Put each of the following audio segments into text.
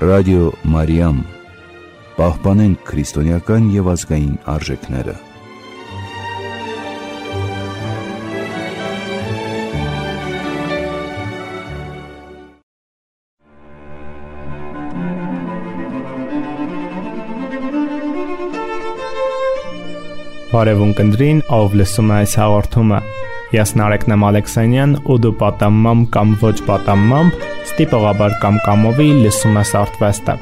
Ռադիո Մարիամ, պահպանենք քրիստոնեական և ազգային արժեքները։ Բարևուն կնդրին, ով լսում է այս հաղորդումը։ Ես Նարեկնեմ Ալեքսանյան ու դու պատամմամբ կամ ոչ պատամմամբ ստիպողաբար կամ կամովի լսում ես Արթվեստը։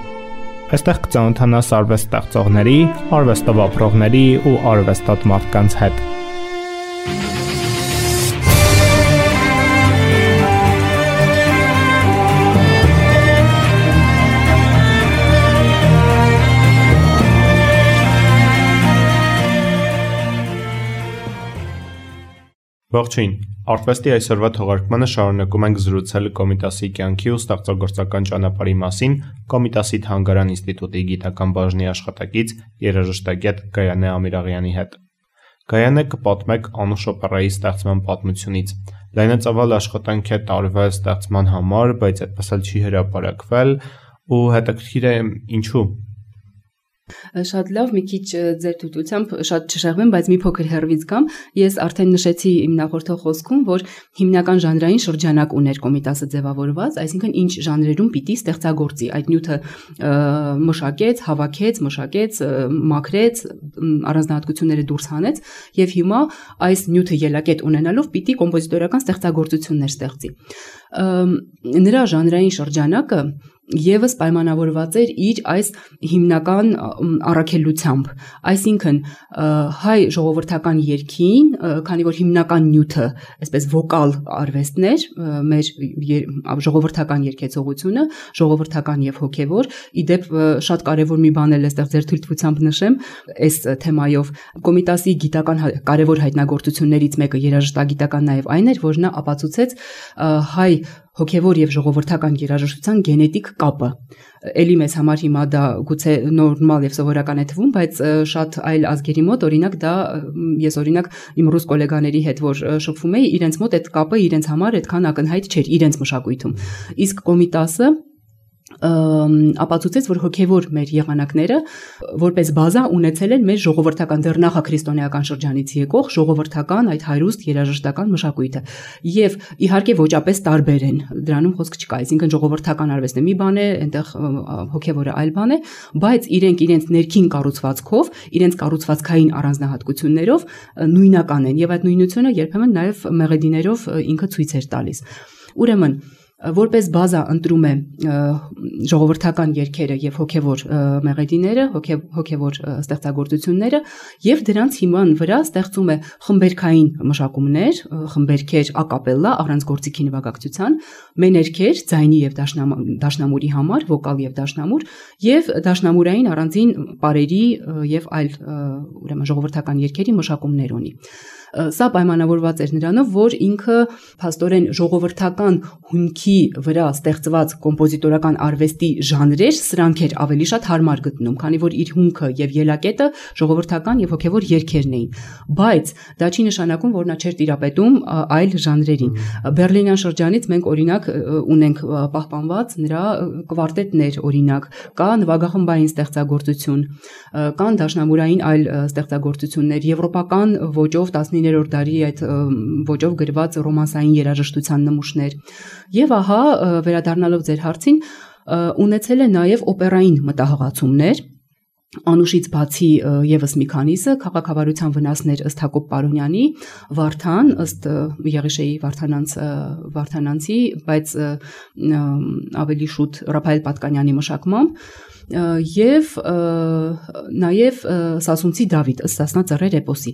Այստեղ կծանոթանաս արվեստ ստեղծողների, արվեստով ապրողների ու արվեստոտ մարդկանց հետ։ Ողջույն, Արթվեստի այսօրվա թողարկմանը շարունակում ենք զրուցել Կոմիտասի կյանքի ու ստեղծագործական ճանապարհի մասին Կոմիտասի Թանգարան ինստիտուտի գիտական բաժնի աշխատակից երաժշտագետ Գայանե Ամիրաղյանի հետ։ Գայանե, կպատմեք Անուշ օպերայի ստեղծման պատմությունից։ Լայնածավալ աշխատանք է տարվել ստեղծման համար, բայց այդպես էլ չի հրապարակվել ու հետաքրքիր է ինչու։ Շատ լավ, մի քիչ ձեր թույլտվությամբ շատ չշեղվեմ, բայց մի փոքր հեռվից գամ։ Ես արդեն նշեցի իմ նախորդող խոսքում, որ հիմնական ժանրային շրջանակ ուներ Կոմիտասը ձևավորված, այսինքն ինչ ժանրերում պիտի ստեղծագործի։ Այդ նյութը մշակեց, հավաքեց, մաքրեց, առանձնահատկությունները դուրս հանեց եւ հիմա այս նյութը ելակետ ունենալով պիտի կոմպոզիտորական ստեղծագործություններ ստեղծի։ Նրա ժանրային շրջանակը եւս պայմանավորված էր իր այս հիմնական առաքելությամբ, այսինքն հայ ժողովրդական երգին, քանի որ հիմնական նյութը, այսպես վոկալ արվեստն էր, մեր ժողովրդական երգեցողությունը, ժողովրդական եւ հոգեվոր, իդեպ շատ կարեւոր մի բան էլ այստեղ ձեր թույլտվությամբ նշեմ, այս թեմայով Կոմիտասի գիտական կարեւոր հայտնագործություններից մեկը երաժշտագիտական նաեւ այն էր, որ նա ապացուցեց հայ հոգևոր եւ ժողովրդական երաժշտության գենետիկ կապը։ Էլի մեզ համար հիմա դա գուցե նորմալ եւ սովորական է թվում, բայց շատ այլ ազգերի մոտ, օրինակ դա ես օրինակ իմ ռուս գոլեգաների հետ որ շփվում էի, իրենց մոտ այդ կապը իրենց համար այդքան ակնհայտ չէր իրենց մշակույթում։ Իսկ Կոմիտասը ապացուցեց, որ հոգևոր մեր եղանակները որպես բազա ունեցել են մեր ժողովրդական դեռ նախաքրիստոնեական շրջանից եկող ժողովրդական այդ հայրուստ երաժշտական մշակույթը եւ իհարկե ոճապես տարբեր են, դրանում խոսք չկա, այսինքն ժողովրդական արվեստը մի բան է, այնտեղ հոգևորը այլ բան է, բայց իրենց ներքին կառուցվածքով, իրենց կառուցվածքային առանձնահատկություններով նույնական են եւ այդ նույնությունը երբեմն նաեւ մեղեդիներով ինքը ցույց էր տալիս։ Ուրեմն որպես բազա ընտրում է ժողովրդական երգերը եւ հոգեվոր մեղեդիները, հոգեվոր ստեղծագործությունները եւ դրանց հիման վրա ստեղծում է խմբերքային մշակումներ, խմբերքեր ակապելլա առանց գործիքի նվագակցության, մեներքեր ձայնի եւ դաշնամուրի համար, վոկալ եւ դաշնամուր եւ դաշնամուրային առանձին պարերի եւ այլ ուրեմն ժողովրդական երգերի մշակումներ ունի։ Սա պայմանավորված էր նրանով, որ ինքը փաստորեն ժողովրդական հումքի վրա ստեղծված կոմպոզիտորական արվեստի ժանրեր սրանք էր ավելի շատ հարմար գտնում, քանի որ իր հումքը եւ ելակետը ժողովրդական եւ հոգեվոր երգերն էին, բայց դա չի նշանակում, որ նա չէր տիրապետում այլ ժանրերին։ Բերլինյան շրջանից մենք օրինակ ունենք պահպանված նրա կվարտետներ, օրինակ, կա նվագախմբային ստեղծագործություն, կան դաշնամուրային այլ ստեղծագործություններ, եվրոպական ոճով 19-րդ դարի այդ ոճով գրված ռոմանսային երաժշտության նմուշներ։ Եվ ահա վերադառնալով ձեր հարցին, ունեցել է նաև օպերային մտահղացումներ, Անուշից բացի եւս մի քանիսը քաղաքավարության վնասներ ըստ Հակոբ Պարոնյանի, Վարդան ըստ Եղիշեի Վարդանանցի, բայց ավելի շուտ Ռափայել Պատկանյանի մշակմամբ եւ նաեւ Սասունցի Դավիթ ըստ Սասնա Ծռեր էպոսի։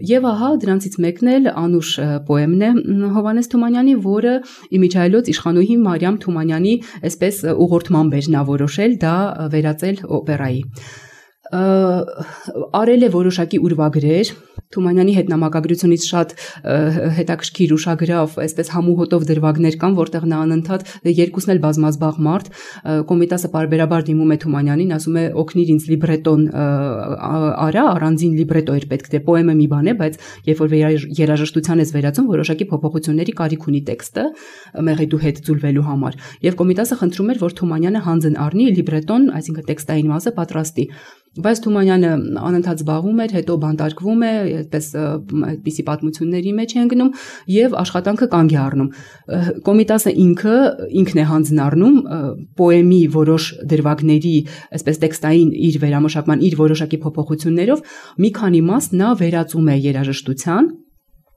Եվ ահա դրանցից մեկն էլ Անուշ պոեմն է Հովհաննես Թումանյանի, որը իմիջայլոց իշխանուհի Մարիամ Թումանյանի այսպես ուղղորդմամբ էր նա որոշել դա վերածել օպերայի։ արել է որոշակի ուրվագրեր Թումանյանի հետ նամակագրությունից շատ հետաքրքիր ուշագրավ, այսպես համուհոտով դրվագներ կան, որտեղ նա անընդհատ երկուսն էլ բազմազբաղ մարդ, Կոմիտասը պարբերաբար դիմում է Թումանյանին, ասում է օգնիր ինձ լիբրետոն արա, առանձին լիբրետո էր պետք, դե պոեմը մի բան է, բայց երբ որ երաժշտության ես վերածում, որոշակի փոփոխությունների կարիք ունի տեքստը մեղեդու հետ ձուլվելու համար, եւ Կոմիտասը խնդրում էր, որ Թումանյանը հանձն առնի լիբրետոն, այսինքն տեքստային մասը պատրաստի, բայց Թումանյանը անընդհատ զբաղվում էր, հետո բանտարկվում է, այդպես այդպիսի պատմությունների մեջ է ընկնում եւ աշխատանքը կանգ է առնում։ Կոմիտասը ինքն է հանձն առնում պոեմի որոշ դրվագների, այսպես տեքստային իր վերամշակման, իր որոշակի փոփոխություններով մի քանի մաս նա վերածում է երաժշտության,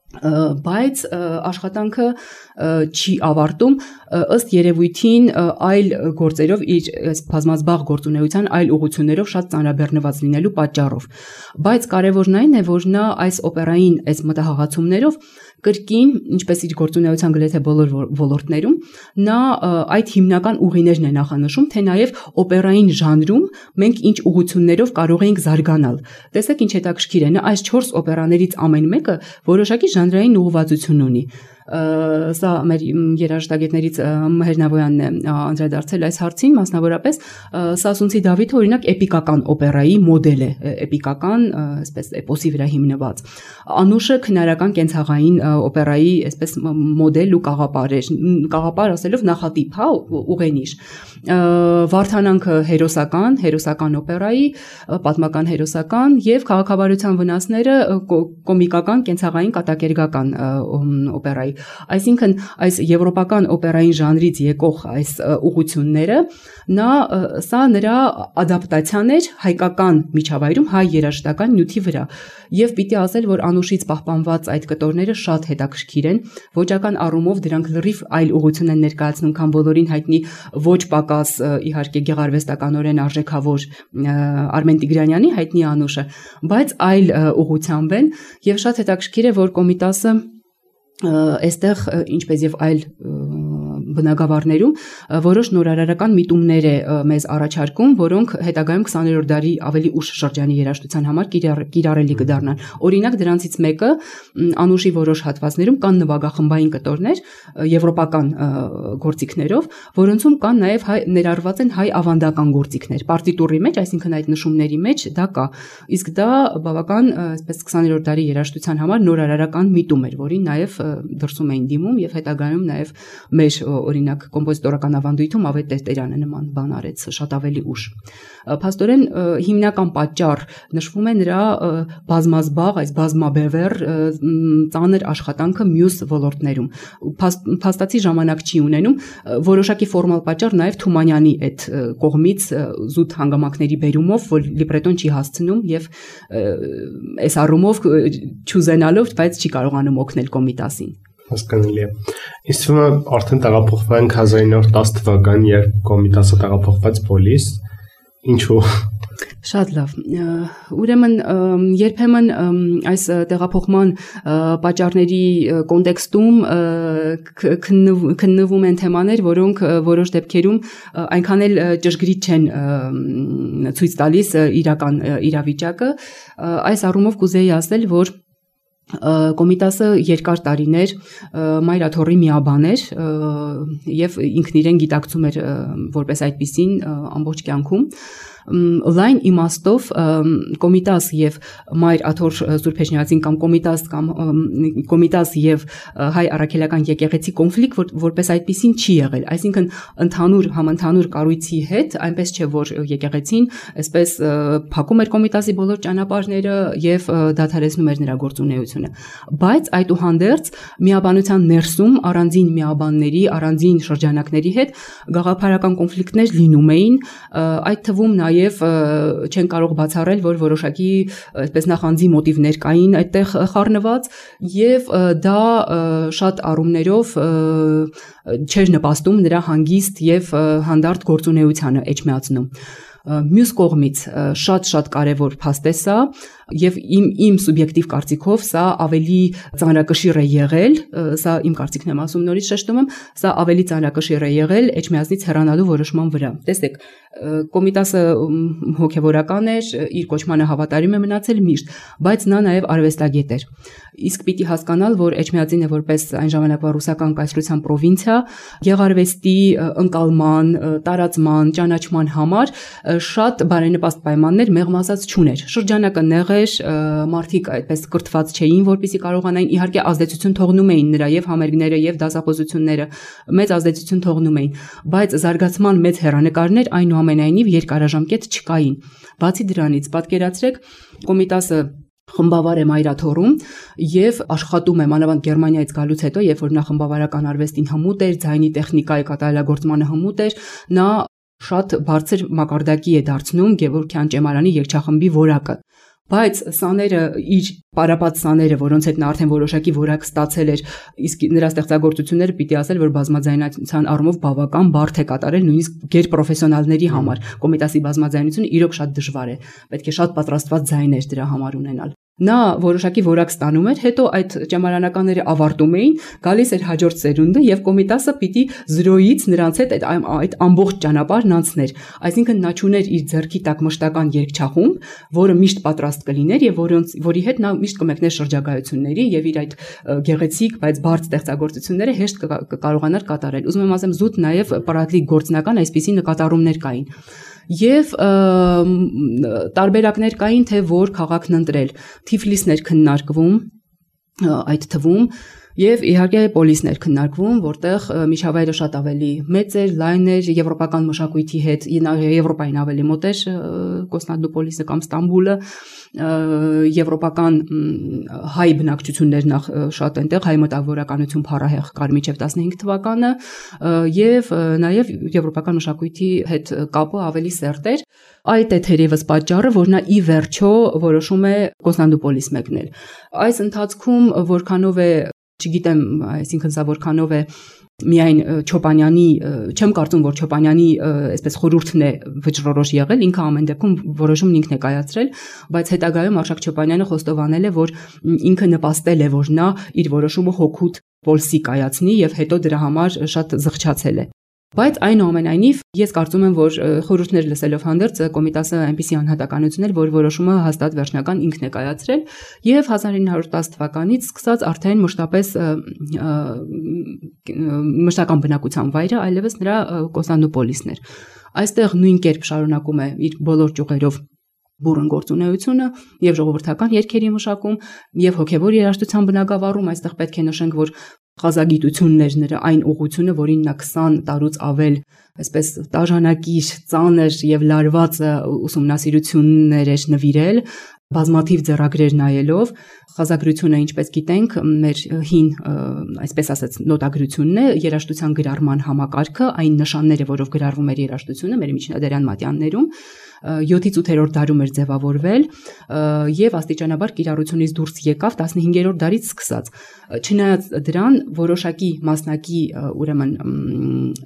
բայց աշխատանքը չի ավարտում ըստ երևույթին այլ գործերով իր բազմազբաղ գործունեության այլ ուղղություններով շատ ծանրաբեռնված լինելու պատճառով, բայց կարևորն այն է, որ նա այս օպերային այս մտահղացումներով կրկին, ինչպես իր գործունեության գրեթե բոլոր ոլորտներում, նա այդ հիմնական ուղիներն է նախանշում, թե նաև օպերային ժանրում մենք ինչ ուղղություններով կարող ենք զարգանալ։ Տեսեք ինչ հետաքրքիր է, նա այս 4 օպերաներից ամեն մեկը որոշակի ժանրային ուղղվածություն ունի։ Սա մեր երաժշտագետներից Մհեր Նավոյանն է անդրադարձել այս հարցին, մասնավորապես Սասունցի Դավիթը օրինակ էպիկական օպերայի մոդել է, էպիկական, այսպես էպոսի վրա հիմնված։ Անուշը քնարական կենցաղային օպերայի այսպես մոդել ու կաղապար ասելով նախատիպ, հա, ուղենիշ։ Վարդանանքը հերոսական օպերայի, պատմական հերոսական եւ քաղաքավարության վնասները կոմիկական կենցաղային կատակերգական օպերայի։ Այսինքն այս եվրոպական օպերային ժանրից եկող այս ուղղությունները սա նրա ադապտացիան էր հայկական միջավայրում հայ երաժշտական նյութի վրա եւ պիտի ասել, որ Անուշից պահպանված այդ կտորները շատ հետաքրքիր են, ոճական առումով դրանք լրիվ այլ ուղղություն են ներկայացնում, քան բոլորին հայտնի ոչ պակաս իհարկե գեղարվեստականորեն արժեքավոր Արմեն Տիգրանյանի հայտնի Անուշը, բայց այլ ուղղությամբ են եւ շատ հետաքրքիր է, որ Կոմիտասը այստեղ ինչպես եւ այլ բնագավառներում որոշ նորարարական միտումներ է մեզ առաջարկում, որոնք հետագայում 20-րդ դարի ավելի ուշ շրջանի երաժշտության համար կիրառելի կդառնան։ Օրինակ դրանցից մեկը Անուշի որոշ հատվածներում կան նվագախմբային կտորներ եվրոպական գործիքներով, որոնցում կան նաև ներառված են հայ ավանդական գործիքներ։ Պարտիտուրի մեջ, այսինքն այդ նշումների մեջ դա կա։ Իսկ դա բավական այսպես 20-րդ դարի երաժշտության համար նորարարական միտում էր, որին նաև դրսում էին դիմում եւ հետագայում նաև մեր օրինակ կոմպոզիտորական ավանդույթում Ավետ Տերտերյանը նման բան արեց շատ ավելի ուշ։ Փաստորեն հիմնական պատճառ նշվում է նրա բազմազբաղ, այս բազմաբևեռ ծանր աշխատանքը մյուս ոլորտներում։ Փաստացի ժամանակ չի ունենում, որոշակի ֆորմալ պատճառ նաև Թումանյանի այդ կողմից զուտ հանգամանքների բերումով, որ լիբրետոն չի հասցնում եւ այս առումով չուզենալով, բայց չի կարողանում օգնել Կոմիտասին։ Հասկանալի է։ Իսկ թվում է արդեն տեղափոխվել ենք 1910 թվական, երբ Կոմիտասը տեղափոխված Պոլիս, ինչու։ Շատ լավ։ Ուրեմն երբեմն այս տեղափոխման պատճառների կոնտեքստում քննվում են թեմաներ, որոնք որոշ դեպքերում այնքան էլ ճշգրիտ չեն ցույց տալիս իրական իրավիճակը։ Այս առումով կուզեի ասել, որ Կոմիտասը երկար տարիներ Մայր Աթոռի միաբան էր եւ ինքն իրեն գիտակցում էր որպես այդպիսին ամբողջ կյանքում լայն իմաստով Կոմիտաս եւ Մայր Աթոռ Սուրբ Էջմիածին կամ Կոմիտաս եւ հայ առաքելական եկեղեցի կոնֆլիկտ որպես այդպիսին չի եղել, այսինքն համընդհանուր կառույցի հետ այնպես չէ, որ եկեղեցին այսպես փակում էր Կոմիտասի բոլոր ճանապարհները եւ դադարեցնում էր նրա գործունեությունը, բայց այդուհանդերձ միաբանության ներսում առանձին միաբանների, առանձին շրջանակների հետ գաղափարական կոնֆլիկտներ լինում էին, այդ թվում նաեւ չեն կարող բացառել, որ որոշակի այսպես նախանձի մոտիվներ կային այդտեղ խառնված եւ դա շատ առումներով չէր նպաստում նրա հանգիստ եւ հանդարտ գործունեությանը Էջմիածնում։ Մյուս կողմից շատ կարևոր փաստ է սա, եւ իմ սուբյեկտիվ կարծիքով սա ավելի ծանրակշիռ է եղել, սա իմ կարծիքն եմ ասում, նորից շեշտում եմ, սա ավելի ծանրակշիռ է եղել Էջմիածնից հեռանալու որոշման վրա։ Տեսեք, Կոմիտասը հոգևորական էր, իր կոչմանը հավատարիմ է մնացել միշտ, բայց նա նաև արվեստագետ էր։ Իսկ պիտի հասկանալ, որ Էջմիածինը որպես այն ժամանակվա ռուսական կայսրության պրովինցիա գեղարվեստի ընկալման, տարածման, ճանաչման համար շատ բարենպաստ պայմաններ մեղմ ասած չուներ։ Շրջանակը նեղ էր, մարդիկ այդպես կրթված չէին, որպեսզի կարողանային, իհարկե ազդեցություն թողնում էին նրա եւ համերգները եւ դասախոսությունները, մեծ ազդեցություն թողնում էին, բայց զարգացման մեծ հեռանկարներ այնուամենայնիվ երկարաժամկետ չկային։ Բացի դրանից, պատկերացրեք, Կոմիտասը խմբավար է Մայրաթոռում եւ աշխատում է մանավանդ Գերմանիայից գալուց հետո, երբ որ նա խմբավարական արվեստին հմուտ էր, ձայնի տեխնիկայի կատարելագործմանը հմուտ էր, նա շատ բարձր մակարդակի է դարձնում Գևորգյան ճեմարանի երգչախմբի որակը։ Բայց սաները, իր պարապած սաները, որոնց հետ նա արդեն որոշակի որակ ստացել էր, իսկ նրա ստեղծագործությունները պիտի ասել, որ բազմաձայնության առումով բավական բարդ է կատարել նույնիսկ գերպրոֆեսիոնալների համար։ Կոմիտասի բազմաձայնությունը իրոք շատ դժվար է, պետք է շատ պատրաստված ձայներ դրա համար ունենալ։ Նա որոշակի որակ ստանում էր, հետո այդ ճեմարանականները ավարտում էին, գալիս էր հաջորդ սերունդը եւ Կոմիտասը պիտի 0-ից նրանց հետ այդ ամբողջ ճանապարհն անցներ։ Այսինքն նա ճուներ իր ձեռքի տակ մշտական երգչախումբ, որը միշտ պատրաստ կլիներ եւ որի հետ նա միշտ կմեկներ շրջագայությունների եւ իր այդ գեղեցիկ, բայց բարդ ստեղծագործությունները հեշտ կկարողանար կատարել։ Ուզում եմ ասեմ, զուտ նաեւ պարադլիկ գործնական այսպիսի նկատառումներ կային։ Եվ տարբերակներ կային, թե որ քաղաքն ընտրել։ Թիֆլիսն էր քննարկվում այդ թվում եւ իհարկե Պոլիսն էր քննարկվում, որտեղ միջավայրը շատ ավելի մեծ էր, լայն էր, եվրոպական մշակույթի հետ, Եվրոպային ավելի մոտ էր Կոստանդնուպոլիսը կամ Ստամբուլը, եվրոպական հայ բնակչություններ նախ շատ այնտեղ հայ մտավորականություն փառահեղ կար մինչև 15 թվականը եւ նաեւ եվրոպական մշակույթի հետ կապը ավելի սերտ էր։ Այդ է թերևս պատճառը, որ նա ի վերջո որոշում է Կոստանդնուպոլիս մեկնել։ Այս ընթացքում որքանով է, չգիտեմ, այսինքն սա որքանով է միայն Չոպանյանի, չեմ կարծում, որ Չոպանյանի այսպես խորհուրդն է վճռորոշ եղել, ինքը ամեն դեպքում որոշումն ինքն է կայացրել, բայց հետագայում Արշակ Չոպանյանը խոստովանել է, որ ինքը նպաստել է, որ նա իր որոշումը հօգուտ Պոլսի կայացնի եւ հետո դրա համար շատ զղջացել է։ Բայց այնուամենայնիվ ես կարծում եմ, որ խորհուրդներ լսելով հանդերձ Կոմիտասը այնպիսի անհատականություն էր, որ որոշումը հաստատ վերջնական ինքն է կայացրել եւ 1910 թվականից սկսած արդեն մշտական բնակության վայրը այլևս նրա Կոստանդնուպոլիսն էր։ Այստեղ նույն կերպ շարունակում է իր բոլոր ճյուղերով բուրըն գործունեությունը եւ ժողովրդական երգերի մշակում եւ հոգեվոր երաժշտության բնագավառում։ Այստեղ պետք է նշենք, որ խազագիտությունն էր նրա այն ուղղությունը, որին նա 20 տարուց ավել այսպես տաժանակիր, ծանր եւ լարված ուսումնասիրություններ էր նվիրել, բազմաթիվ ձեռագրեր նայելով։ Խազագրությունը, ինչպես գիտենք, մեր հին, այսպես ասած, նոտագրությունն է, երաժշտության գրառման համակարգը, այն նշանները, որով գրառվում էր երաժշտությունը մեր միջնադարյան մատյաններում, 7-ից 8-րդ դարում էր ձևավորվել եւ աստիճանաբար կիրառությունից դուրս եկավ 15-րդ դարից սկսած։ Չնայած դրան որոշակի մասնակի ուրեմն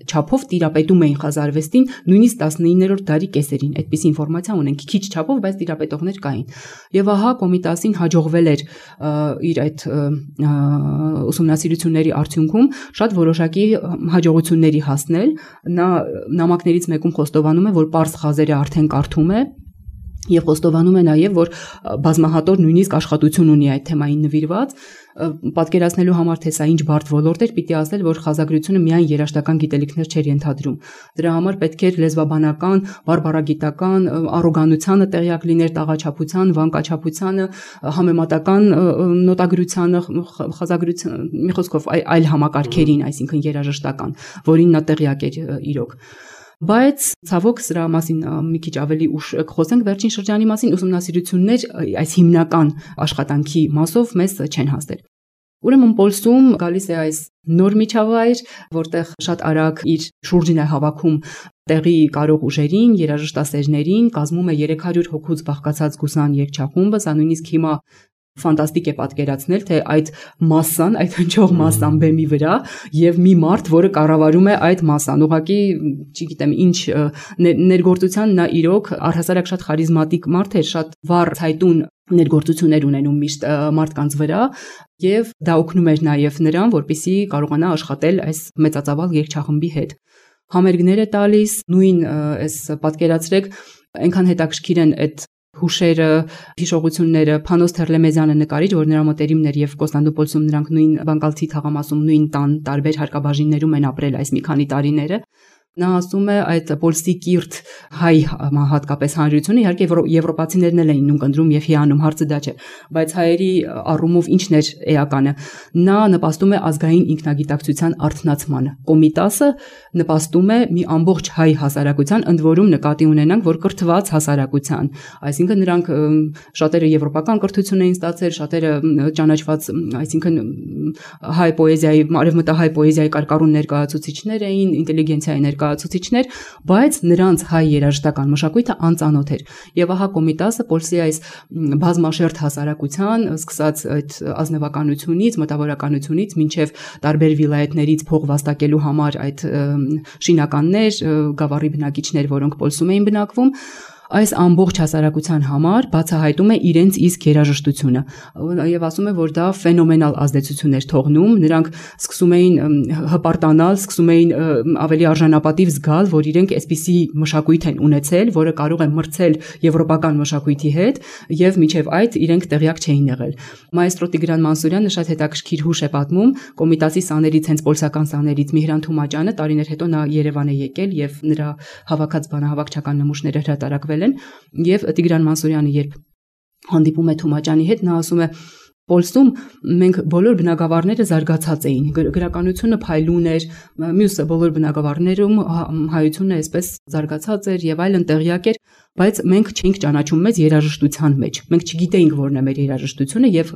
չափով տիրապետում էին խազարվեստին նույնիսկ 19-րդ դարի կեսերին։ Այդպիսի ինֆորմացիա ունենք, քիչ չափով, բայց տիրապետողներ կային։ Եւ ահա Կոմիտասին հաջողվել էր իր այդ ուսումնասիրությունների արդյունքում շատ որոշակի հաջողությունների հասնել։ Նա նամակներից մեկում խոստովանում է, որ պարզ խազերը արդեն կարդում է եւ խոստովանում է նաեւ, որ բազմահատոր նույնիսկ աշխատություն ունի այդ թեմային նվիրված։ Պատկերացնելու համար, թե սա ինչ բարդ ոլորտ էր, պիտի ասել, որ խազագրությունը միայն երաժշտական գիտելիքներ չէր ենթադրում։ Դրա համար պետք էր լեզվաբանական, բարբարագիտական առոգանությանը տեղյակ լիներ, տաղաչափության, վանկաչափությանը, համեմատական նոտագրությանը, խազագրության, մի խոսքով այլ համակարգերին, այսինքն երաժշտական, որին նա տեղյակ էր իրոք։ Բայց ցավոք սրա մասին մի քիչ ավելի ուշ կխոսենք վերջին շրջանի մասին, ուսումնասիրություններ այս հիմնական աշխատանքի մասով մեզ չեն հասել։ Ուրեմն Պոլսում գալիս է այս նոր միջավայր, որտեղ շատ արագ իր շուրջին է հավաքում տեղի կարող ուժերին, երաժշտասերներին, կազմում է 300 հոգուց բաղկացած գուսան երգչախումբը, սա նույնիսկ հիմա ֆանտաստիկ է պատկերացնել, թե այդ մասսան, այդ հնչող մասսան բեմի վրա եւ մի մարդ, որը կառավարում է այդ մասսան, ուղղակի, չգիտեմ, ինչ ներգործության նա իրոք առհասարակ շատ խարիզմատիկ մարդ էր, շատ վառ ցայտուն ներգործություններ ունենում միշտ մարդկանց վրա եւ դա օգնում էր նաեւ նրան, որպեսզի կարողանա աշխատել այս մեծածավալ երգչախմբի հետ։ Համերգներ է տալիս, նույն այս պատկերացրեք, այնքան հետաքրքիր են այդ հուշերը, հիշողությունները, Փանոս Թերլեմեզյանը նկարիչ, որ նրա մտերիմներ եւ Կոստանդնուպոլսում նրանք նույն Բանկալցի թաղամասում նույն տան տարբեր հարկաբաժիններում են ապրել այս մի քանի տարիները։ Նա ասում է այդ պոլսի կիրթ հայ հատկապես հանրությունը, իհարկե եվրոպացիներն էլ էին նույն կնդրում եւ հիանում, հարցը դա չէ, բայց հայերի առումով ինչն էր էականը։ Նա նպաստում է ազգային ինքնագիտակցության արթնացմանը։ Կոմիտասը նպաստում է մի ամբողջ հայ հասարակության, ընդ որում նկատի ունենանք, որ կրթված հասարակության, այսինքն նրանք շատերը եվրոպական կրթություն էին ստացել, շատերը ճանաչված, այսինքն հայ պոեզիայի, արևմտահայ պոեզիայի կարկառուն ներկայացուցիչներ էին, ինտելիգենցիայի ներկայացուցիչներ, բայց նրանց հայ երաժշտական մշակույթը անծանոթ էր։ Եվ ահա Կոմիտասը Պոլսի այս բազմաշերտ հասարակության, սկսած այդ ազնվականությունից, մտավորականությունից, մինչև տարբեր վիլայեթներից փող վաստակելու համար այդ շինականներ, գավառի բնակիչներ, որոնք Պոլսում էին բնակվում, այս ամբողջ հասարակության համար բացահայտում է իրենց իսկ երաժշտությունը եւ ասում է, որ դա ֆենոմենալ ազդեցություն էր թողնում, նրանք սկսում էին հպարտանալ, սկսում էին ավելի արժանապատիվ զգալ, որ իրենք այսպիսի մշակույթ են ունեցել, որը կարող է մրցել եվրոպական մշակույթի հետ եւ միջև այդ իրենք տեղյակ չէին եղել։ Մայստրո Տիգրան Մանսուրյանը շատ հետաքրքիր հուշ է պատմում Կոմիտասի սաներից, հենց պոլսական սաներից Միհրան Թումաճյանը տարիներ հետո նա Երևան է եկել եւ նրա հավաքած բանահավաքչական նմուշները հրատարակվել եւ Տիգրան Մանսուրյանը երբ հանդիպում է Թումաճյանի հետ, նա ասում է Պոլսում մենք բոլոր բնակավարները զարգացած էին, գրականությունը փայլուն էր, մյուս բոլոր բնակավարներում հայությունը այսպես զարգացած էր եւ այլն տեղյակ էր, բայց մենք չէինք ճանաչում մեզ երաժշտության մեջ։ Մենք չգիտեինք որն է մեր երաժշտությունը եւ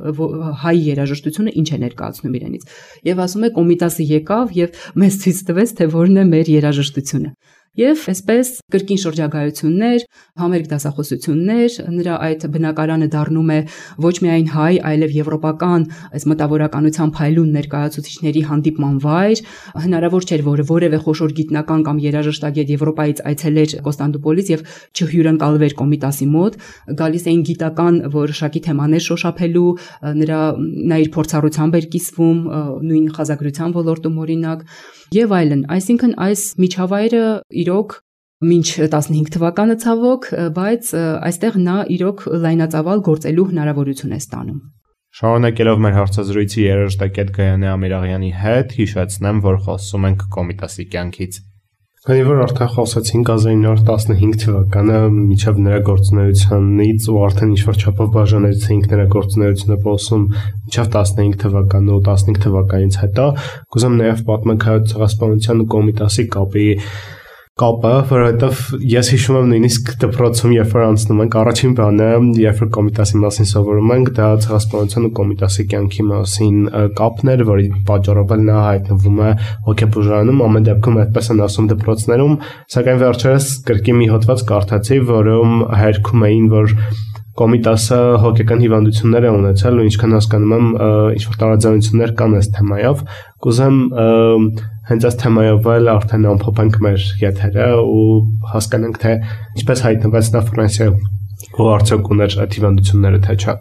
հայ երաժշտությունը ինչ է ներկայացնում իրենից։ Եվ ասում է Կոմիտասը եկավ եւ մեզ ցույց տվեց, թե որն է մեր երաժշտությունը։ Եվ այսպես կրկին շրջագայություններ, համերգ դասախոսություններ, նրա այդ բնակարանը դառնում է ոչ միայն հայ, այլև եվրոպական այս մտավորականության փայլուն ներկայացուցիչների հանդիպման վայր, հնարավոր չէր, որ որևէ խոշոր գիտնական կամ երաժշտագետ Եվրոպայից այցելեր Կոստանդնուպոլիս եւ չհյուրընկալվեր Կոմիտասի մոտ, գալիս էին գիտական որոշակի թեմաներ շոշափելու, նա իր փորձառությամբ էր կիսվում, նույն խազագրության ոլորտում օրինակ եւ այլն, այսինքն այս միջավայրը իրոք մինչ 15 թվականը ցավոք, բայց այստեղ նա իրոք լայնածավալ գործելու հնարավորություն է ստանում։ Շարունակելով մեր հարցազրույցի երաժշտակետ Գայանե Ամիրաղյանի հետ, հիշեցնեմ, որ խոսում ենք Կոմիտասի կյանքից։ Քանի որ արդեն խոսեցինք 1915 թվականը միջև նրա գործունեությանից ու արդեն ինչ-որ չափով բաժանեցինք նրա գործունեությունը Պոլսում միջև 15 թվականը ու 15 թվականից հետո, կուզեմ նաև պատմենք հայոց ցեղասպանության ու Կոմիտասի կապը, որովհետև ես հիշում եմ նույնիսկ դպրոցում, երբ որ անցնում ենք, առաջին բանը, երբ որ Կոմիտասի մասին սովորում ենք, դա ցեղասպանության ու Կոմիտասի կյանքի մասին կապն էր, որի պատճառով էլ նա հայտնվում է հոգեբուժարանում, ամեն դեպքում այդպես են ասում դպրոցներում, սակայն վերջերս կրկին մի հոդված կարդացի, որում հերքում էին, որ Կոմիտասը հոգեկան հիվանդություններ է ունեցել ու ինչքան հասկանում եմ, ինչ-որ տարաձայնություններ կան այս թեմայով, կուզեմ հենց այս թեմայով էլ արդեն ամփոփենք մեր եթերը ու հասկանանք, թե ինչպես հայտնվեց նա Ֆրանսիայում ու արդյոք ուներ այդ հիվանդությունները, թե չէ։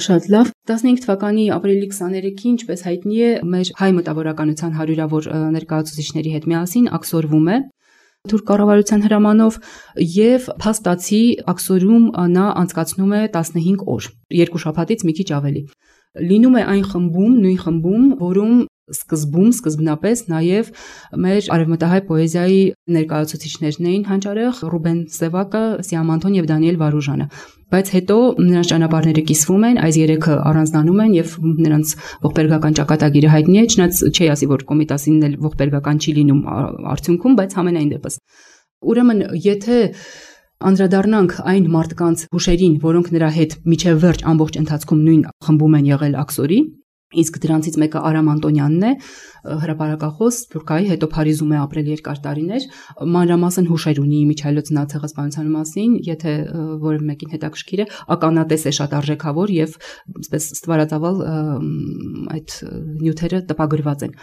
Շատ լավ, 15 թվականի ապրիլի 23-ին, ինչպես հայտնի է, մեր հայ մտավորականության հարյուրավոր ներկայացուցիչների հետ միասին աքսորվում է թուրք կառավարության հրամանով եւ փաստացի աքսորում նա անցկացնում է 15 օր, 2 շաբաթից մի քիչ ավելի։ Լինում է այն խմբում, նույն խմբում, որում սկզբնապես նաև մեր արևմտահայ պոեզիայի ներկայացուցիչներն էին հանճարեղ Ռուբեն Սևակը, Սիամ Անտոն եւ Դանիել Վարուժանը, բայց հետո նրանց ճանապարհները կիսվում են, այս երեքը առանձնանում են եւ նրանց ողբերգական ճակատագիրը հայտնի է, չնայած չի ասի, որ Կոմիտասին էլ ողբերգական չի լինում արդյունքում, բայց համենայն դեպս։ Ուրեմն, եթե անդրադառնանք այն մարդկանց հուշերին, որոնք նրա հետ միջև վերջ ամբողջ ընթացքում նույն խմբում են եղել աքսորի, իսկ դրանցից մեկը Արամ Անտոնյանն է, հրապարակախոս, Թուրքիայի, հետո Փարիզում է ապրել երկար տարիներ, մանրամասն հուշեր ունի Միչայելոց ցեղասպանության մասին, եթե որևէ մեկին հետաքրքիր է, ականատես է շատ արժեքավոր եւ այսպես ստվարածավալ այդ նյութերը տպագրված են։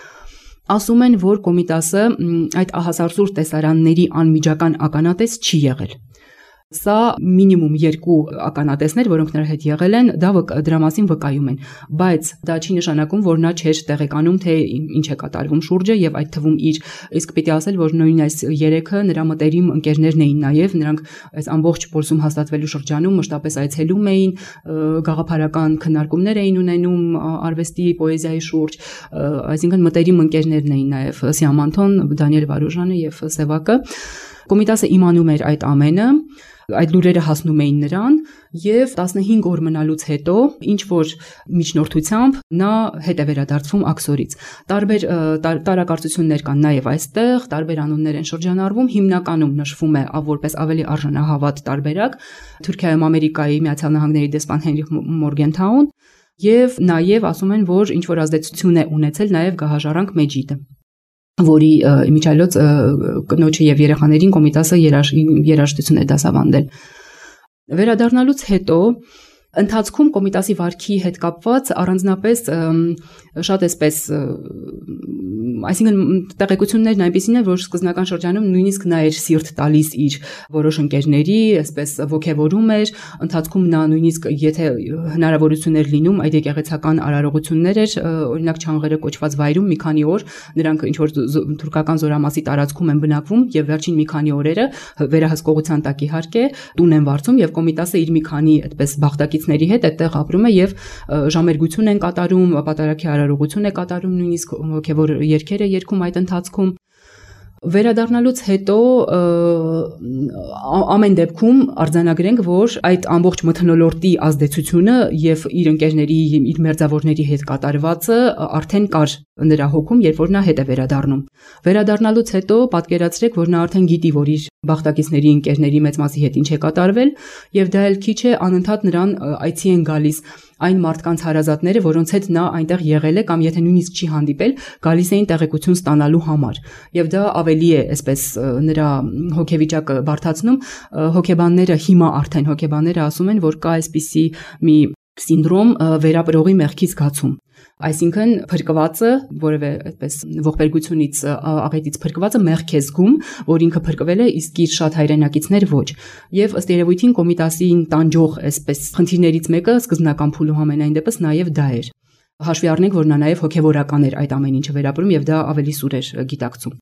Ասում են, որ Կոմիտասը այդ ահասարսուր տեսարանների անմիջական ականատես չի եղել։ Սա մինիմում 2 ականատեսներ, որոնք նրա հետ եղել են, դրա մասին վկայում են, բայց դա չի նշանակում, որ նա չէր տեղեկանում, թե ինչ է կատարվում շուրջը եւ այդ թվում իր, իսկ պիտի ասել, որ նույն այս 3-ը նրա մտերիմ ընկերներն էին նաեւ, նրանք այս ամբողջ փորձում հաստատվելու շրջանում մշտապես այցելում էին, գաղափարական քննարկումներ էին ունենում արվեստի, պոեզիայի շուրջ, այսինքն մտերիմ ընկերներն էին նաեւ Սիամանթոն, Դանիել Վարուժանը եւ Սևակը։ Կոմիտասը իմանում էր այդ ամենը, այդ լուրերը հասնում էին նրան եւ 15 օր մնալուց հետո ինչ որ միջնորդությամբ նա հետ է վերադարձվում Աքսորից։ Տարբեր տարակարծություններ կան նաեւ այստեղ, տարբեր անուններ են շրջանառվում, հիմնականում նշվում է որպես ավելի արժանահավատ տարբերակ Թուրքիայում Ամերիկայի Միացյալ Նահանգների դեսպան Հենրիխ Մորգենթաուն եւ նաեւ ասում են, որ ինչ որ ազդեցություն է ունեցել նաեւ գահաժառանգ Մեջիդը, որի իմիջիայլոց կնոջը եւ երեխաներին Կոմիտասը երաժշտություն է դասավանդել։ Վերադառնալուց հետո ընթացքում Կոմիտասի վարքի հետ կապված առանձնապես շատ էսպես, այսինքն տեղեկություններն այնպիսին են, որ սկզբնական շրջանում նույնիսկ նա էր սիրտ տալիս իր որոշ ընկերների, այսպես ոգևորում էր, ընթացքում նա նույնիսկ եթե հնարավորություն էր լինում, այդ եկեղեցական արարողություններ էր, օրինակ Չանգերը կոչված վայրում մի քանի օր նրանք ինչ որ թուրքական զորամասի տարածքում են բնակվում եւ վերջին մի քանի օրերը վերահսկողության տակ իհարկե տուն են վարձում եւ Կոմիտասը իր մի քանի այդպես բախտակիցների հետ այդտեղ ապրում է եւ ժամերգություն են կատարում, պատարագի արարողություն է կատարում, նույնիսկ հոգեվոր երգեր է երգում այդ ընթացքում։ Վերադառնալուց հետո ամեն դեպքում արձանագրենք, որ այդ ամբողջ մթնոլորտի ազդեցությունը եւ իր ընկերների, իր մերձավորների հետ կատարվածը արդեն կար նրա հոգում, երբ որ նա հետ է վերադառնում։ Վերադառնալուց հետո պատկերացրեք, որ նա արդեն գիտի, որ իր բախտակիցների ընկերների մեծ մասի հետ ինչ է կատարվել, եւ դա էլ քիչ է անընդհատ նրան այցի են գալիս այն մարդկանց հարազատները, որոնց հետ նա այնտեղ եղել է կամ եթե նույնիսկ չի հանդիպել, գալիս էին տեղեկություն ստանալու համար։ Եվ դա ավելի է, այսպես նրա հոգեվիճակը բարդացնում, հոգեբանները ասում են, որ կա այսպիսի մի սինդրոմ վերապրողի մեղքի զգացում։ Այսինքն փրկվածը, որևէ այդպես ողբերգությունից աղետից փրկվածը մեղք է զգում, որ ինքը փրկվել է, իսկ իր շատ հայրենակիցներ ոչ։ Եվ ըստ երևույթին Կոմիտասին տանջող այսպես խնդիրներից մեկը սկզբնական փուլում ամենայն դեպս նաև դա էր։ Հաշվի առնենք, որ նա նաև հոգևորական էր այդ ամեն ինչը վերապրում եւ դա ավելի սուր էր գիտակցում։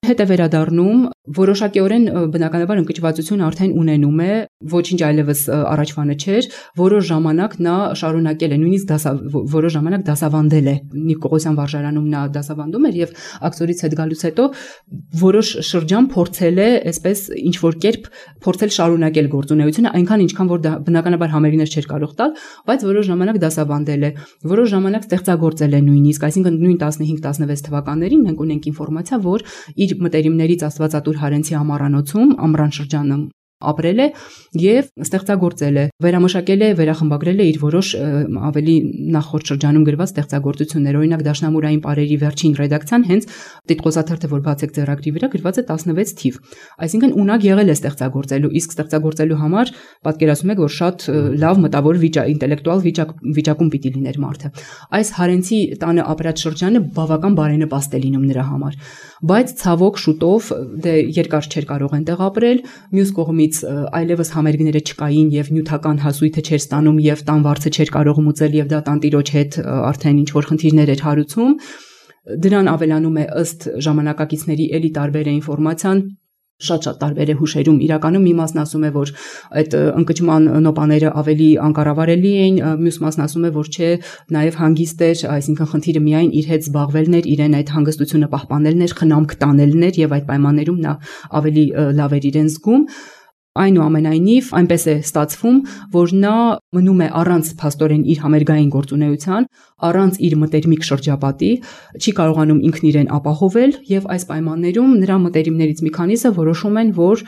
Հետ է վերադառնում, որոշակիորեն բնականաբար ընկճվածություն արդեն ունենում է, ոչինչ այլևս առաջվանը չէր, որոշ ժամանակ նա շարունակել է, նույնիսկ որոշ ժամանակ դասավանդել է։ Նիկողոսյան վարժարանում նա դասավանդում էր եւ Աքսորից հետ գալուց հետո որոշ շրջան փորձել է, այսպես ինչ որ կերպ փորձել շարունակել գործունեությունը, այնքան ինչքան որ դա բնականաբար համերիներ չէր կարող տալ, բայց որոշ ժամանակ դասավանդել է, որոշ ժամանակ ստեղծագործել է նույնիսկ, այսինքն նույն 15-16 թվականներին մենք ունենք ինֆորմացիա, որ իր մտերիմներից Աստվածատուր Հարենցի ամառանոցում ամռան շրջանում ապրել է եւ ստեղծագործել է, վերամշակել է, վերախմբագրել է իր որոշ ավելի նախորդ շրջանում գրված ստեղծագործություններ, օրինակ Դաշնամուրային պարերի վերջին ռեդակցիան հենց Տիտղոսաթերթը, որ բացեք ձեռագրի վրա գրված է 16 թիվ, այսինքն ունակ եղել է ստեղծագործելու, իսկ ստեղծագործելու համար պատկերացնում եք, որ շատ լավ մտավոր ինտելեկտուալ վիճակում պիտի լիներ մարդը։ Այս Հարենցի տանը ապրած շրջանը բավական բարենպաստ է լինում նրա համար, բայց ցավոք շուտով դե երկար չէր կարող այնտեղ ապրել, մյուս կողմից այլևս համերգները չկային եւ նյութական հասույթը չէր ստանում եւ տան վարձը չէր կարող մուծել եւ դա տանտիրոջ հետ արդեն ինչ որ խնդիրներ էր հարուցում։ Դրան ավելանում է ըստ ժամանակակիցների էլի տարբեր է ինֆորմացիան, շատ տարբեր է հուշերում, իրականում մի մասն ասում է, որ այդ ընկճման նոպաները ավելի անկառավարելի էին, մյուս մասն ասում է, որ չէ, նաև հանգիստ էր, այսինքն խնդիրը միայն իր հետ զբաղվելն էր, իրեն այդ հանգստությունը պահպանելն էր, խնամք տանելն էր եւ այդ պայմաններում նա ավելի լավ էր իրեն զգում։ Այնուամենայնիվ այնպես է ստացվում, որ նա մնում է առանց փաստորեն իր համերգային գործունեության, առանց իր մտերմիկ շրջապատի, չի կարողանում ինքն իրեն ապահովել եւ այս պայմաններում նրա մտերիմներից մի քանիսը որոշում են, որ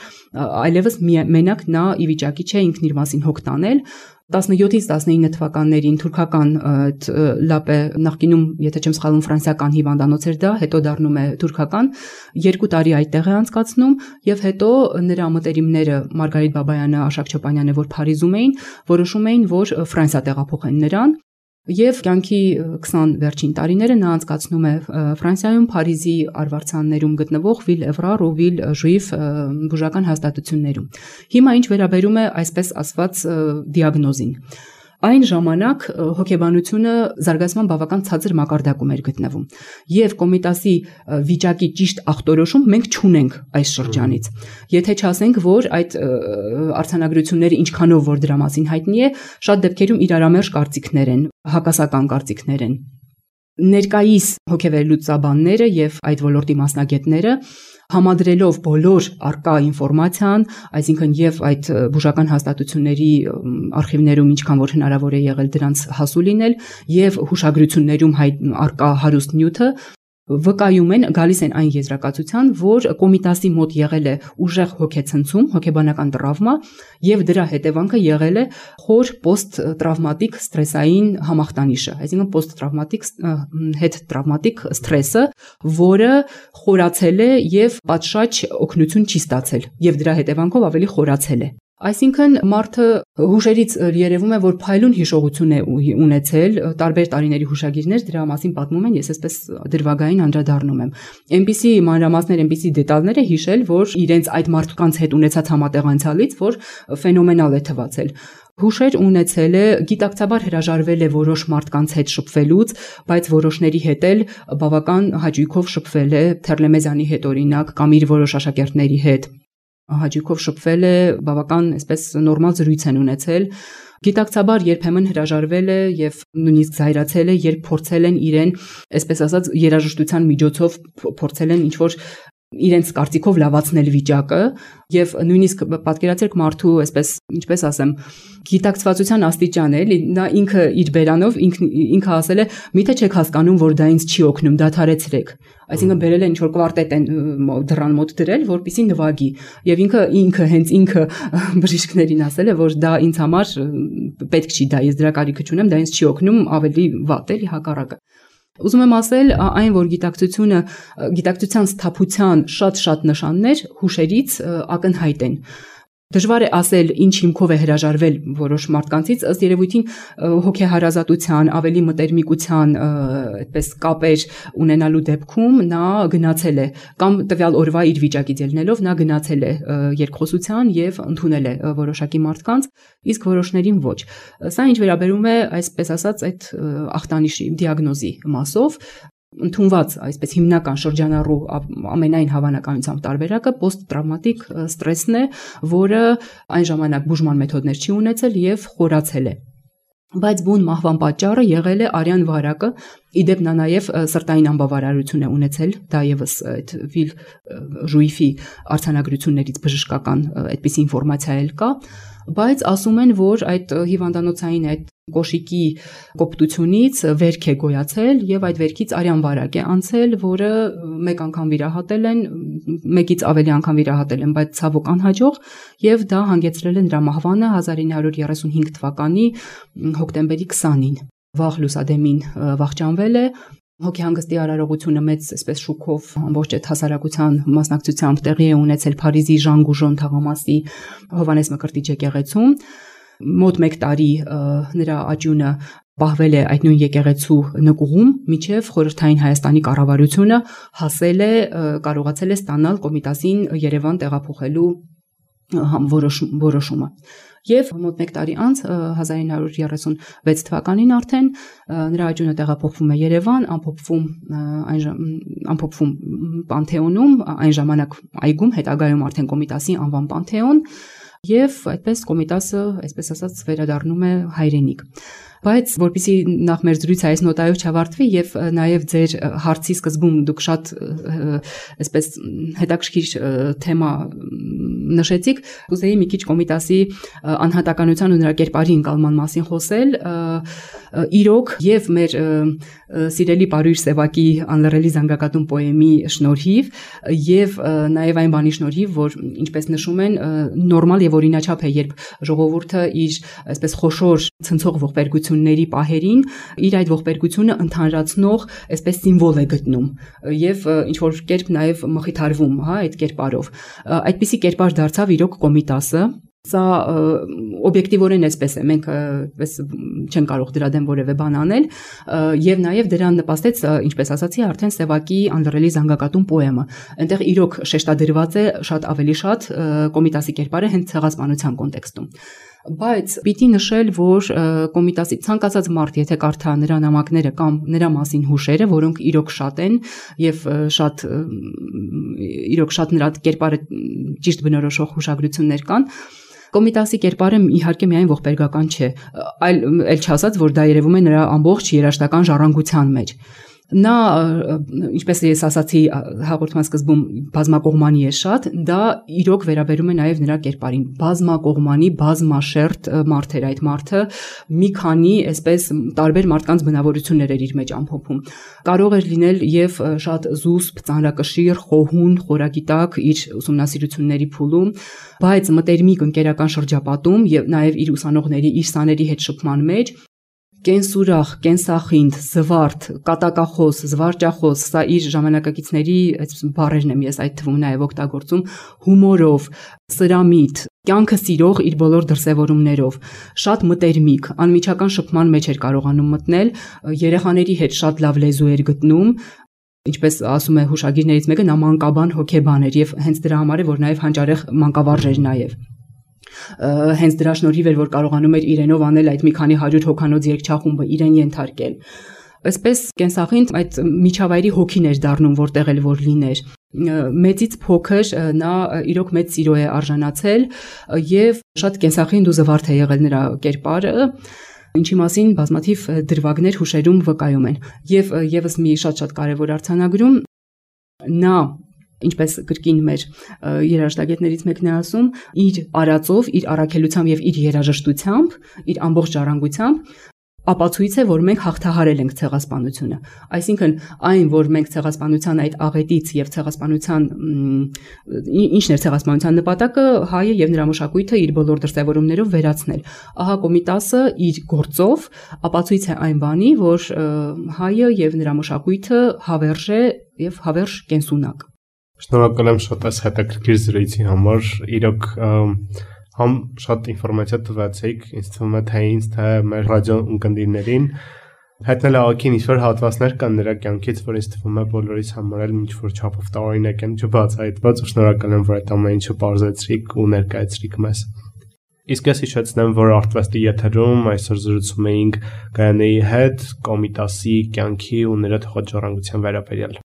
այլևս մենակ նա ի վիճակի չէ ինքն իր մասին հոգ տանել։ 17-ից 19 թվականներին թուրքական լապե նախկինում, եթե չեմ սխալվում, ֆրանսիական հիվանդանոց էր դա, հետո դառնում է թուրքական, 2 տարի այդտեղ է անցկացնում եւ հետո նրա մտերիմները Մարգարիտ Բաբայանը, Աշակ Չոպանյանը, որ Փարիզում էին, որոշում էին, որ Ֆրանսիա տեղափոխեն նրան Եվ կյանքի 20 վերջին տարիները նա անցկացնում է Ֆրանսիայում Փարիզի արվարձաններում գտնվող Վիլ Էվրար ու Վիլ Ժուիֆ բուժական հաստատություններում։ Հիմա ինչ վերաբերում է այսպես ասված դիագնոզին։ Այն ժամանակ հոգեբանությունը զարգացման բավական ցածր մակարդակում էր գտնվում եւ Կոմիտասի վիճակի ճիշտ ախտորոշում մենք չունենք այս շրջանից։ Եթե չասենք, որ այդ արձանագրությունները ինչքանով որ դրա մասին հայտնի է, շատ դեպքերում իրարամերժ կարծիքներ են, հակասական կարծիքներ են։ Ներկայիս հոգեվերլուծաբանները եւ այդ ոլորտի մասնագետները համադրելով բոլոր արկա ինֆորմացիան, այսինքն եւ այդ բուժական հաստատությունների արխիվներում ինչքան որ հնարավոր է եղել դրանց հասու լինել եւ հուշագրություններում արկա հարուստ նյութը վկայում են, գալիս են այն եզրակացության, որ Կոմիտասի մոտ եղել է ուժեղ հոգեցնցում, հոգեբանական տրավմա եւ դրա հետևանքը եղել է խոր պոստ-տրավմատիկ ստրեսային համախտանիշը, այսինքն պոստ-տրավմատիկ հետտրավմատիկ ստրեսը, որը խորացել է եւ պատշաճ օգնություն չի ստացել եւ դրա հետևանքով ավելի խորացել է։ Այսինքն մարդը հուշերից երևում է, որ փայլուն հիշողություն է ունեցել, տարբեր տարիների հուշագիրներ դրա մասին պատմում են, ես այսպես դրվագային անդրադառնում եմ։ Այնպիսի մանրամասներ, այնպիսի դետալներ է հիշել, որ իրենց այդ մարդկանց հետ ունեցած համատեղանցալից, որ ֆենոմենալ է թվացել։ Հուշեր ունեցել է, գիտակցաբար հրաժարվել է որոշ մարդկանց հետ շփվելուց, բայց որոշների հետ էլ բավական հաճույքով շփվել է Թերլեմեզյանի հետ օրինակ կամ իր որոշ աշակերտների հետ։ Հաճույքով շփվել է, բավական այսպես նորմալ զրույց են ունեցել։ Գիտակցաբար երբեմն հրաժարվել է եւ նույնիսկ զայրացել է, երբ փորձել են իրեն, այսպես ասած, երաժշտության միջոցով փորձել են ինչ-որ իրենց կարծիքով լավացնել վիճակը եւ նույնիսկ պատկերացրեք մարդու, այսպես, ինչպես ասեմ, գիտակցվածության աստիճան է, նա ինքը իր բերանով ինքը ասել է, միթե չեք հասկանում, որ դա ինձ չի օգնում, դադարեցրեք։ Այսինքն բերել է ինչ-որ կվարտետ են դռան մոտ դրել, որպեսզի նվագի, եւ ինքը հենց ինքը բժիշկներին ասել է, որ դա ինձ համար պետք չի, դա ես դրա կարիքը չունեմ, դա ինձ չի օգնում, ավելի վատ էլի հակառակը։ Ուզում եմ ասել, այն որ գիտակցության սթափության շատ նշաններ հուշերից ակնհայտ են։ Դժվար է ասել ինչ հիմքով է հրաժարվել որոշ մարդկանցից, ըստ երևույթին հոգեհարազատության, ավելի մտերմիկության, այդպես կապեր ունենալու դեպքում նա գնացել է կամ տվյալ օրվա իր վիճակից ելնելով նա գնացել է երկխոսության եւ ընդունել է որոշակի մարդկանց, իսկ որոշներին ոչ։ Սա ինչ վերաբերում է, այսպես ասած, այդ ախտանիշի դիագնոզի մասով ընդունված այսպես հիմնական շրջանառու ամենայն հավանականությամբ տարբերակը պոստ-տրավմատիկ ստրեսն է, որը այն ժամանակ բուժման մեթոդներ չի ունեցել եւ խորացել է։ Բայց բուն մահվան պատճառը եղել է արյան վարակը, իդեպ նա նաև սրտային անբավարարություն է ունեցել, դա եւս այդ Վիլ Ժուիֆի արձանագրություններից բժշկական այդպիսի ինֆորմացիա էլ կա, բայց ասում են, որ այդ հիվանդանոցային այդ կոշիկի կոպտությունից վերք է գոյացել եւ այդ վերքից արյան վարակ է անցել, որը մեկ անգամ վիրահատել են, մեկից ավելի անգամ վիրահատել են, բայց ցավոք անհաջող եւ դա հանգեցրել է նրա մահվանը 1935 թվականի հոկտեմբերի 20-ին։ Վաղ լուսադեմին վախճանվել է։ Հոգեհանգստի արարողությունը մեծ այսպես շուկով ամբողջ այդ հասարակության մասնակցությամբ տեղի է ունեցել Փարիզի Ժան Գուժոն թաղամասի Հովանես Մկրտիչ եկեղեցում։ Մոտ 1 տարի նրա աճյունը պահվել է այդ նույն եկեղեցու նկուղում, մինչև խորհրդային Հայաստանի կառավարությունը կարողացել է ստանալ Կոմիտասին Երևան տեղափոխելու որոշումը։ Եվ մոտ 1 տարի անց 1936 թվականին արդեն նրա աճյունը տեղափոխվում է Երևան, ամփոփվում Պանթեոնում, այն ժամանակ այգում, հետագայում արդեն Կոմիտասի անվան Պանթեոն, եւ այդպես Կոմիտասը, այսպես ասած, վերադառնում է հայրենիք։ Բայց որպեսզի նախ մեր զրույցը այս նոտայով չավարտվի եւ նաեւ ձեր հարցի սկզբում դուք շատ այսպես հետաքրքիր թեմա նշեցիք, ուզեի մի քիչ Կոմիտասի անհատականության ու նրա կերպարի ընկալման մասին խոսել։ Իրոք եւ մեր սիրելի Պարույր Սևակի անլռելի զանգակատուն պոեմի շնորհիվ եւ նաեւ այն բանի շնորհիվ, որ ինչպես նշում են, նորմալ եւ օրինաչափ է, երբ ժողովուրդը իր այսպես խոշոր ցնցող ողբերգությունների պահերին իր այդ ողբերգությունը ընդհանրացնող այսպես սիմվոլ է գտնում եւ ինչ որ կերպ նաեւ մխիթարվում, հա, այդ կերպարով։ Այդպիսի կերպար դարձավ իրոք Կոմիտասը, Սա օբյեկտիվորեն էսպես է, մենք պես չեն կարող դրա դեմ որևէ բան անել, եւ նաեւ դրան նպաստեց, ինչպես ասացի, արդեն Սևակի Անդրելի զանգակատուն պոեմը։ Այնտեղ իրոք շեշտադրված է շատ ավելի շատ Կոմիտասի կերպարը հենց ցեղասպանության կոնտեքստում։ Բայց պիտի նշել, որ Կոմիտասի ցանկացած մարդ, եթե կարդա նրա նամակները կամ նրա մասին հուշերը, որոնք իրոք շատ են եւ իրոք շատ նրա կերպարը ճիշտ բնորոշող հուշագրություններ կան, Կոմիտասի կերպարը իհարկե միայն ողբերգական չէ, այլ չասած, որ դա երևում է նրա ամբողջ երաժշտական ժառանգության մեջ։ Նա, ինչպես ես ասացի հաղորդման սկզբում, բազմակողմանի է շատ, դա իրոք վերաբերում է նաև նրա կերպարին։ Բազմակողմանի, բազմաշերտ մարդ էր այդ մարդը, մի քանի այսպես տարբեր մարդկանց բնավորություններ էր իր մեջ ամփոփում։ Կարող էր լինել եւ շատ զուսպ, ծանրակշիռ, խոհուն, խորագիտակ իր ուսումնասիրությունների փուլում, բայց մտերմիկ ընկերական շրջապատում եւ նաև իր ուսանողների, իր սաների հետ շփման մեջ կենսուրախ, կենսախինդ, զվարթ, կատակախոս, զվարճախոս, սա իր ժամանակակիցների այսպես բառերն եմ ես այդ թվում նաև օգտագործում, հումորով, սրամիտ, կյանքը սիրող իր բոլոր դրսևորումներով, շատ մտերմիկ, անմիջական շփման մեջ էր կարողանում մտնել, երեխաների հետ շատ լավ լեզու էր գտնում, ինչպես ասում է հուշագիրներից մեկը, նա մանկաբան հոգեբան էր եւ հենց դրա համար է, որ նաև հանճարեղ մանկավարժ էր նաև։ Հենց դրա շնորհիվ էր, որ կարողանում էր իրենով անել այդ մի քանի 100 հոգանոց երգչախումբը, իրեն ենթարկել։ Այսպես կենսախինդ այդ միջավայրի հոգին էր դառնում, որտեղ էլ որ լիներ։ Մեծից փոքր նա իրոք մեծ սիրո է արժանացել եւ շատ կենսախինդ ու զվարթ է եղել նրա կերպարը, ինչի մասին բազմաթիվ դրվագներ հուշերում վկայում են։ Եվ եւս մի շատ կարևոր արձանագրում նա ինչպես կրկին մեր երաժշտագետներից մեկն է ասում, իր արածով, իր առաքելությամբ եւ իր երաժշտությամբ, իր ամբողջ ժառանգությամբ ապացույց է, որ մենք հաղթահարել ենք ցեղասպանությունը։ Այսինքն, այն, որ մենք ցեղասպանության այդ աղետից եւ ցեղասպանության ինչն էր ցեղասպանության նպատակը, հայը եւ նրա մշակույթը իր բոլոր դրսևորումներով վերացնել։ Ահա Կոմիտասը իր գործով ապացույց է այն բանի, որ հայը եւ նրա մշակույթը հավերժ է եւ հավերժ կենսունակ։ Շնորհակալ եմ շատ այս հետաքրքիր զրույցի համար, իրոք համ շատ ինֆորմացիա տվեցիք, ինձ թվում է թե ինձ, թե մեր ռադիո ունկնդիրներին, հայտնել աղաքին ինչ-որ հատվածներ կան նրա կյանքից, որ ինձ թվում է բոլորիս համար էլ ինչ-որ չափով տարօրինակ են չբացահայտված, ու շնորհակալ եմ, որ այդ ամեն ինչը բարձրացրիք ու ներկայացրիք մեզ։ Իսկ ես հիշեցնեմ, որ Artvest-ի եթերում այսօր զրուցում էինք Գայանեի հետ Կոմիտասի կյանքի ու նրա թողած ժառանգության վերաբերյալ։